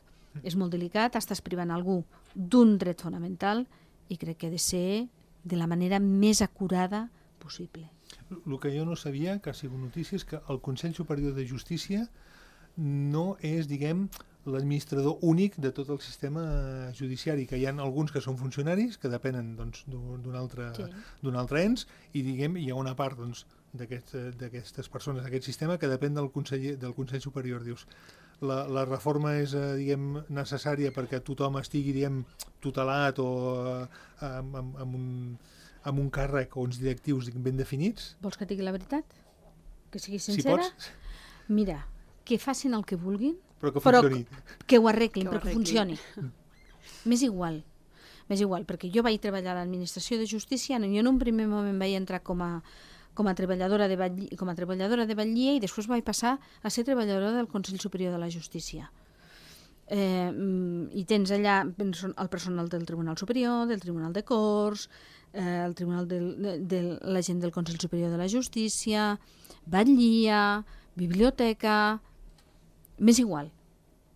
És molt delicat, estàs privant algú d'un dret fonamental i crec que ha de ser de la manera més acurada possible. El que jo no sabia, que ha sigut notícia, és que el Consell Superior de Justícia no és, diguem, l'administrador únic de tot el sistema judiciari, que hi ha alguns que són funcionaris, que depenen d'un altre ens, i diguem, hi ha una part d'aquestes persones, d'aquest sistema, que depèn del Consell Superior. Dius, la reforma és, diguem, necessària perquè tothom estigui, diguem, tutelat o amb un càrrec o uns directius ben definits? Vols que et digui la veritat? Que sigui sincera? Si pots. Mira, que facin el que vulguin, però que funcioni. Que ho arreglin, però que funcioni. M'és igual, perquè jo vaig treballar a l'administració de justícia, jo en un primer moment vaig entrar com a treballadora de batllia i després vaig passar a ser treballadora del Consell Superior de la Justícia. I tens allà el personal del Tribunal Superior, del Tribunal de Corts, el tribunal de la gent del Consell Superior de la Justícia, batllia, biblioteca... M'és igual,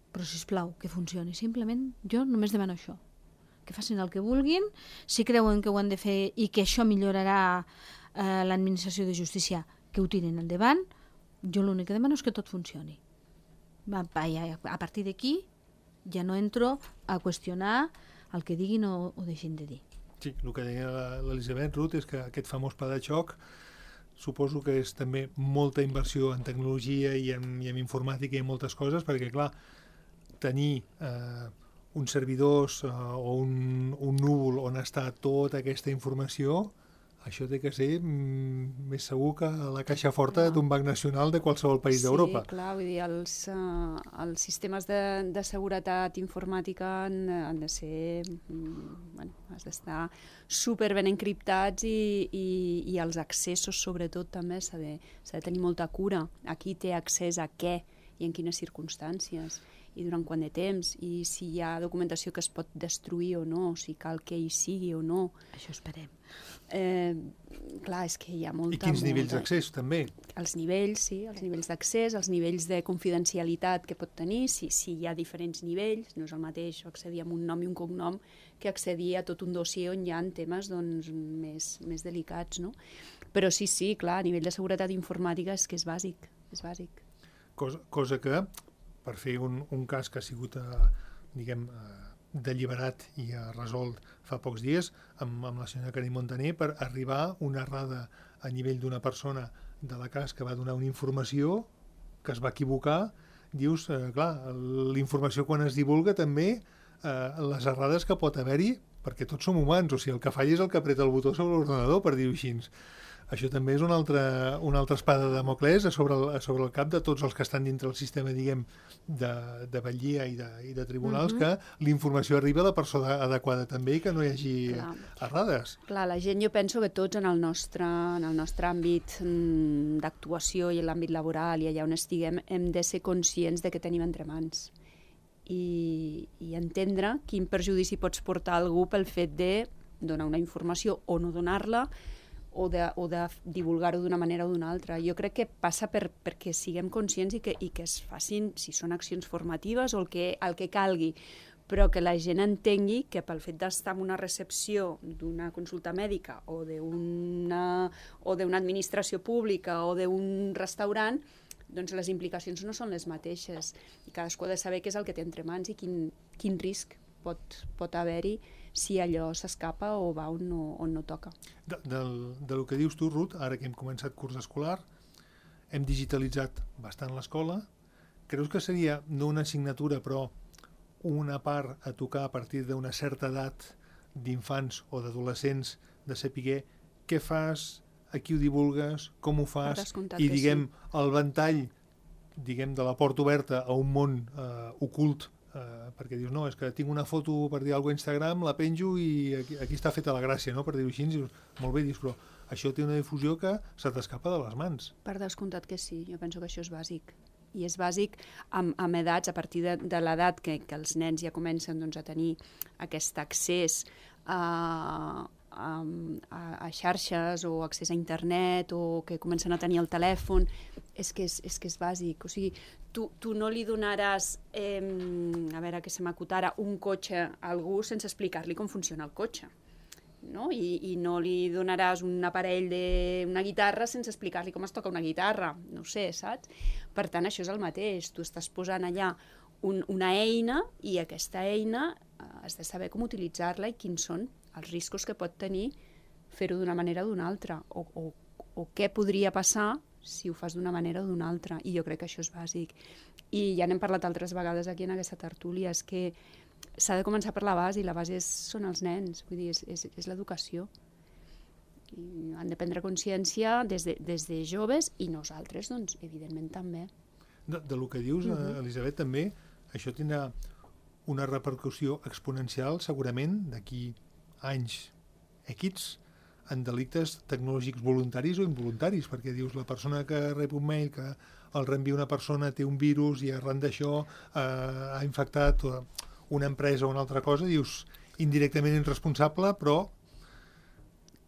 però sisplau, que funcioni. Simplement, jo només demano això. Que facin el que vulguin, si creuen que ho han de fer i que això millorarà l'administració de justícia, que ho tirin endavant. Jo l'únic que demano és que tot funcioni. A partir d'aquí ja no entro a qüestionar el que diguin o deixin de dir. Sí, el que deia l'Elisabet Ruth és que aquest famós pla de xoc suposo que és també molta inversió en tecnologia i en informàtica i en moltes coses, perquè, clar, tenir uns servidors o un núvol on està tota aquesta informació, això té que ser més segur que la caixa forta d'un banc nacional de qualsevol país d'Europa. Sí, clar, vull dir, els sistemes de seguretat informàtica han de ser, has d'estar super ben encriptats i els accessos, sobretot, també s'ha de tenir molta cura. A qui té accés a què i en quines circumstàncies i durant quant de temps, i si hi ha documentació que es pot destruir o no, si cal que hi sigui o no. Això esperem. Clar, és que hi ha molta... I quins nivells d'accés, també? Els nivells, sí, els nivells d'accés, els nivells de confidencialitat que pot tenir, si hi ha diferents nivells, no és el mateix accedir amb un nom i un cognom que accedir a tot un dossier on hi ha temes més delicats, no? Però sí, clar, a nivell de seguretat informàtica és que és bàsic, és bàsic. Cosa que, per fer un cas que ha sigut, diguem, delliberat i resolt fa pocs dies amb la senyora Karim Montaner per arribar a una errada a nivell d'una persona de la CAS que va donar una informació que es va equivocar. Dius, clar, la quan es divulga també les errades que pot haver-hi, perquè tots som humans, o sigui, el que falla és el que apreta el botó sobre l'ordenador, per dir-ho així. Això també és una altra espada de Damocles sobre el cap de tots els que estan dintre el sistema, diguem, de batllia i de tribunals, que la informació arriba a la persona adequada també i que no hi hagi errades. Clar, la gent, jo penso que tots en el nostre àmbit d'actuació i en l'àmbit laboral i allà on estiguem hem de ser conscients de què tenim entre mans i entendre quin perjudici pots portar a algú pel fet de donar una informació o no donar-la o de divulgar-ho d'una manera o d'una altra. Jo crec que passa perquè siguem conscients i que es facin, si són accions formatives o el que calgui, però que la gent entengui que pel fet d'estar en una recepció d'una consulta mèdica o d'una administració pública o d'un restaurant, doncs les implicacions no són les mateixes i cadascú ha de saber què és el que té entre mans i quin risc pot haver-hi si allò s'escapa o va on no toca. Del que dius tu, Ruth, ara que hem començat curs escolar, hem digitalitzat bastant l'escola. Creus que seria no una assignatura, però una part a tocar a partir d'una certa edat d'infants o d'adolescents de saber què fas, a qui ho divulgues, com ho fas, i diguem el ventall de la porta oberta a un món ocult, perquè dius, no, és que tinc una foto per dir alguna cosa a Instagram, la penjo i aquí està feta la gràcia, no? Per dir-ho així, dius, molt bé, dius, però això té una difusió que se t'escapa de les mans. Per descomptat que sí, jo penso que això és bàsic. I és bàsic amb edats, a partir de l'edat que els nens ja comencen a tenir aquest accés a xarxes o accés a internet o que comencen a tenir el telèfon, és que és bàsic. O sigui, tu no li donaràs, a veure què se m'acotara, un cotxe a algú sense explicar-li com funciona el cotxe. No? I no li donaràs un aparell d'una guitarra sense explicar-li com es toca una guitarra, no ho sé, saps? Per tant, això és el mateix, tu estàs posant allà una eina i aquesta eina has de saber com utilitzar-la i quins són els riscos que pot tenir fer-ho d'una manera o d'una altra, o què podria passar si ho fas d'una manera o d'una altra, i jo crec que això és bàsic. I ja n'hem parlat altres vegades aquí en aquesta tertúlia, és que s'ha de començar per la base, i la base són els nens, vull dir, és l'educació. I han de prendre consciència des de joves, i nosaltres, doncs, evidentment, també. Del que dius, Elisabet, també, això tindrà una repercussió exponencial, segurament, d'aquí anys equips, en delictes tecnològics voluntaris o involuntaris, perquè dius, la persona que rep un mail que el reenvia una persona té un virus i arran d'això ha infectat una empresa o una altra cosa, dius, indirectament irresponsable, però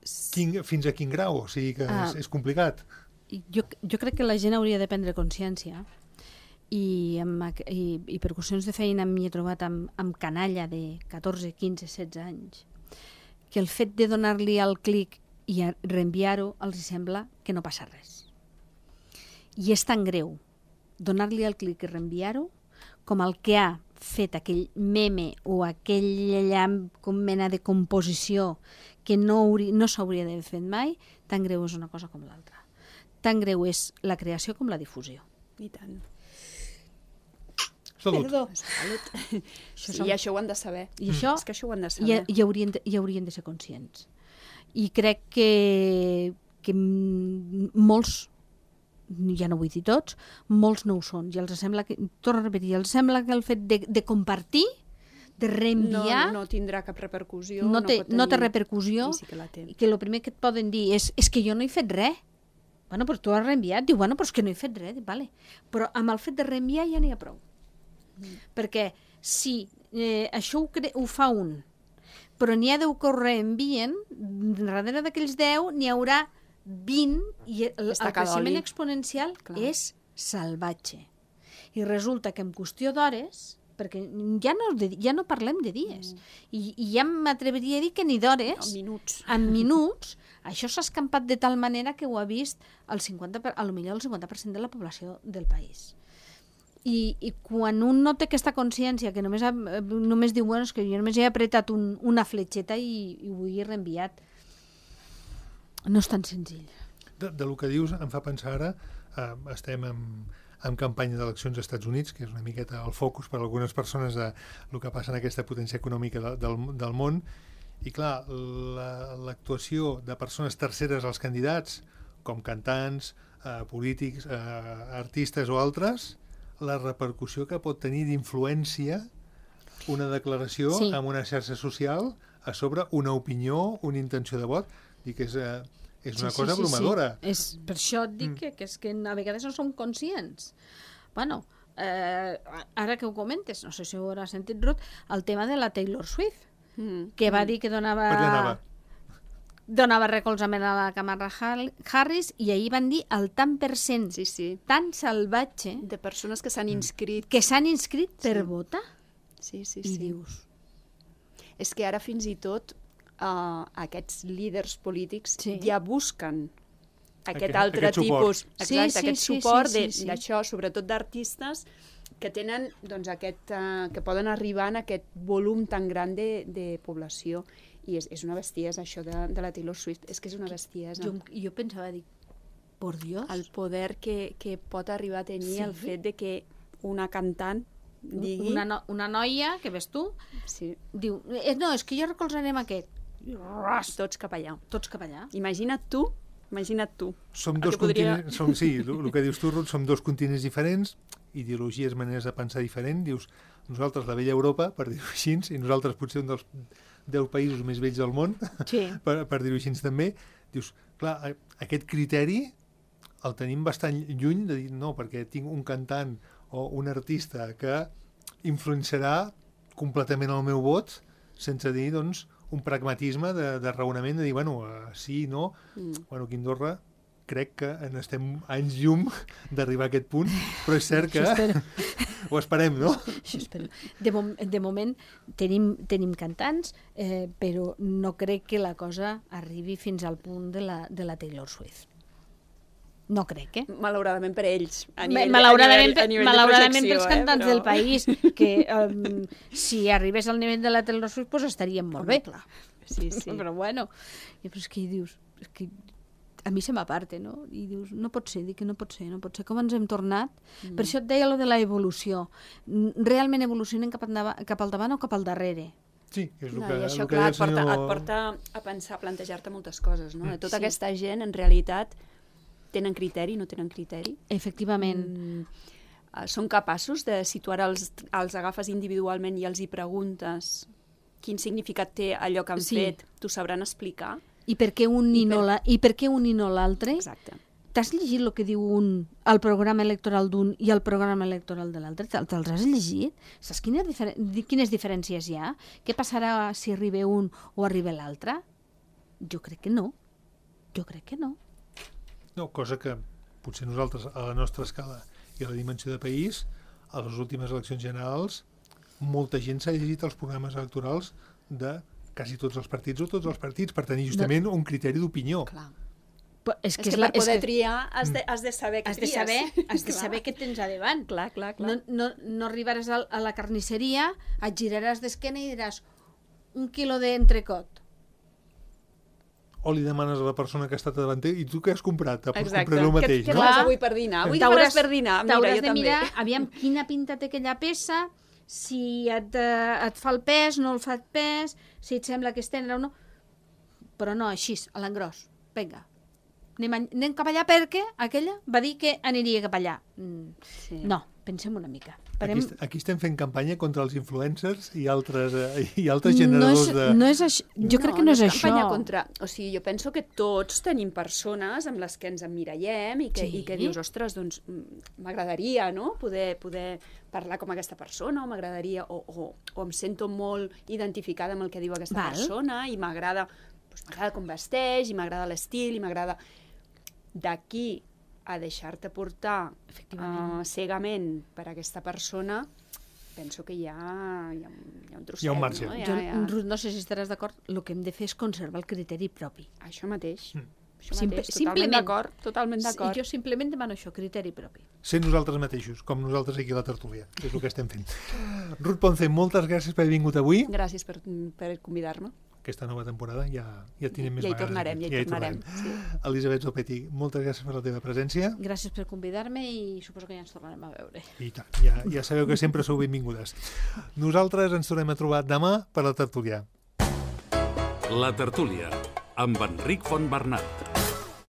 fins a quin grau? O sigui que és complicat. Jo crec que la gent hauria de prendre consciència i per qüestions de feina m'hi he trobat amb canalla de 14, 15, 16 anys, que el fet de donar-li el clic i reenviar-ho els sembla que no passa res. I és tan greu donar-li el clic i reenviar-ho com el que ha fet aquell meme o aquella mena de composició que no s'hauria d'haver fet mai, tan greu és una cosa com l'altra. Tan greu és la creació com la difusió. I tant. Salut. Perdó. Salut. I això ho han de saber. I això, és que això ho han de saber. I haurien de ser conscients. I crec que molts, ja no vull dir tots, molts no ho són. I els sembla que, torno a repetir, els sembla que el fet de compartir, de reenviar... No tindrà cap repercussió. No té repercussió. Sí que la té. I que el primer que et poden dir és que jo no he fet res. Bueno, però tu has reenviat. Diu, bueno, però és que no he fet res. Vale. Però amb el fet de reenviar ja n'hi ha prou. Perquè si això ho fa un, però n'hi ha 10 que ho reenvien, darrere d'aquells 10 n'hi haurà 20 i el creixement exponencial és salvatge. I resulta que en qüestió d'hores, perquè ja no parlem de dies, i ja m'atreviria a dir que ni d'hores, en minuts, això s'ha escampat de tal manera que ho ha vist potser el 50% de la població del país. I quan un no té aquesta consciència, que només diu, bueno, és que jo només he apretat una fletxeta i ho he reenviat, no és tan senzill. Del que dius em fa pensar ara, estem en campanya d'eleccions als Estats Units, que és una miqueta el focus per a algunes persones de el que passa en aquesta potència econòmica del món, i clar, l'actuació de persones terceres als candidats, com cantants, polítics, artistes o altres, la repercussió que pot tenir d'influència una declaració en una xarxa social a sobre una opinió, una intenció de vot, i que és una cosa abrumadora. Sí. Per això et dic que és que a vegades no som conscients. Bueno, ara que ho comentes, no sé si ho hauràs sentit, Ruth, el tema de la Taylor Swift, que va dir que donava recolzament a la Kamala Harris, i ahir van dir el tant per cent tan salvatge de persones que s'han inscrit per votar. Sí. I dius... És que ara fins i tot aquests líders polítics ja busquen aquest altre tipus, aquest suport d'això, sobretot d'artistes que tenen que poden arribar en aquest volum tan gran de població. I és una bestiesa, això de la Taylor Swift. És que és una bestiesa. Jo pensava, dic, por Dios. El poder que pot arribar a tenir el fet de que una cantant digui... Una noia, que ves tu, diu, no, és que jo recolzarem aquest. Tots cap allà. Tots cap allà. Imagina't tu. Som dos continents, sí, el que dius tu, Ruth, som dos continents diferents, ideologies, maneres de pensar diferent. Dius, nosaltres la vella Europa, per dir-ho així, i nosaltres potser un dels 10 països més vells del món, per dir-ho així també. Dius, clar, aquest criteri el tenim bastant lluny de dir, no, perquè tinc un cantant o un artista que influenciarà completament el meu vot, sense dir, doncs, un pragmatisme de raonament, de dir, bueno, sí, no. Bueno, aquí a Andorra crec que estem anys llum d'arribar a aquest punt, però és cert que ho esperem, no? Això espero. De moment tenim cantants, però no crec que la cosa arribi fins al punt de la Taylor Swift. No crec, Malauradament per ells. Malauradament pels cantants del país, que si arribés al nivell de la Taylor Swift, pues estaríem molt bé. Clar. Sí. Però bueno, però és que dius, és que a mi se m'aparte, no? I dius, no pot ser, dic que no pot ser, com ens hem tornat. Per això et deia lo de la evolució. Realment evolucionem cap al davant o cap al darrere? Sí, és el que... I això, clar, et porta a pensar, a plantejar-te moltes coses, no? Tota aquesta gent, en realitat, tenen criteri, no tenen criteri? Efectivament. Són capaços de situar els agafes individualment i els hi preguntes quin significat té allò que han fet, t'ho sabran explicar? I per què un i no l'altre? Exacte. T'has llegit el que diu el programa electoral d'un i el programa electoral de l'altre? Te'ls has llegit? Saps quines diferències hi ha? Què passarà si arriba un o arriba l'altre? Jo crec que no. No, cosa que potser nosaltres, a la nostra escala i a la dimensió de país, a les últimes eleccions generals, molta gent s'ha llegit els programes electorals de quasi tots els partits o tots els partits per tenir justament un criteri d'opinió. Clar. És que per poder triar has de saber què tries. Has de saber què tens a davant. Clar. No arribaràs a la carnisseria, et giraràs d'esquena i diràs 1 quilo d'entrecot. O li demanes a la persona que ha estat davant i tu què has comprat? Exacte. Compraré el mateix, què fas avui per dinar? Avui què faràs per dinar? T'hauràs de mirar, aviam quina pinta té aquella peça, si et fa el pes, no el fa el pes, si et sembla que és tendre o no. Però no, així, a l'engròs. Vinga, anem cap allà perquè aquella va dir que aniria cap allà. No, pensem una mica. Aquí estem fent campanya contra els influencers i altres generadors de... Jo crec que no és això. Campanya contra... O sigui, jo penso que tots tenim persones amb les que ens emmirallem i que dius, ostres, doncs m'agradaria, no?, poder parlar com aquesta persona, o m'agradaria, o em sento molt identificada amb el que diu aquesta persona, i m'agrada com vesteix, i m'agrada l'estil, i m'agrada... D'aquí a deixar-te portar cegament per aquesta persona, penso que hi ha un trosset. Hi ha un marge. No? Ruth, no sé si estaràs d'acord, el que hem de fer és conservar el criteri propi. Això mateix. Això mateix, totalment d'acord. Jo simplement demano això, criteri propi. Ser nosaltres mateixos, com nosaltres aquí a la tertúlia, que és el que estem fent. Ruth Ponce, moltes gràcies per haver vingut avui. Gràcies per convidar-me. Aquesta nova temporada ja tindrem més vegades. Ja hi tornarem. Sí. Elisabet Zopetti, moltes gràcies per la teva presència. Gràcies per convidar-me i suposo que ja ens tornarem a veure. I tant, ja sabeu que sempre sou benvingudes. Nosaltres ens tornem a trobar demà per la tertúlia. La tertúlia, amb Enric Fontbernat.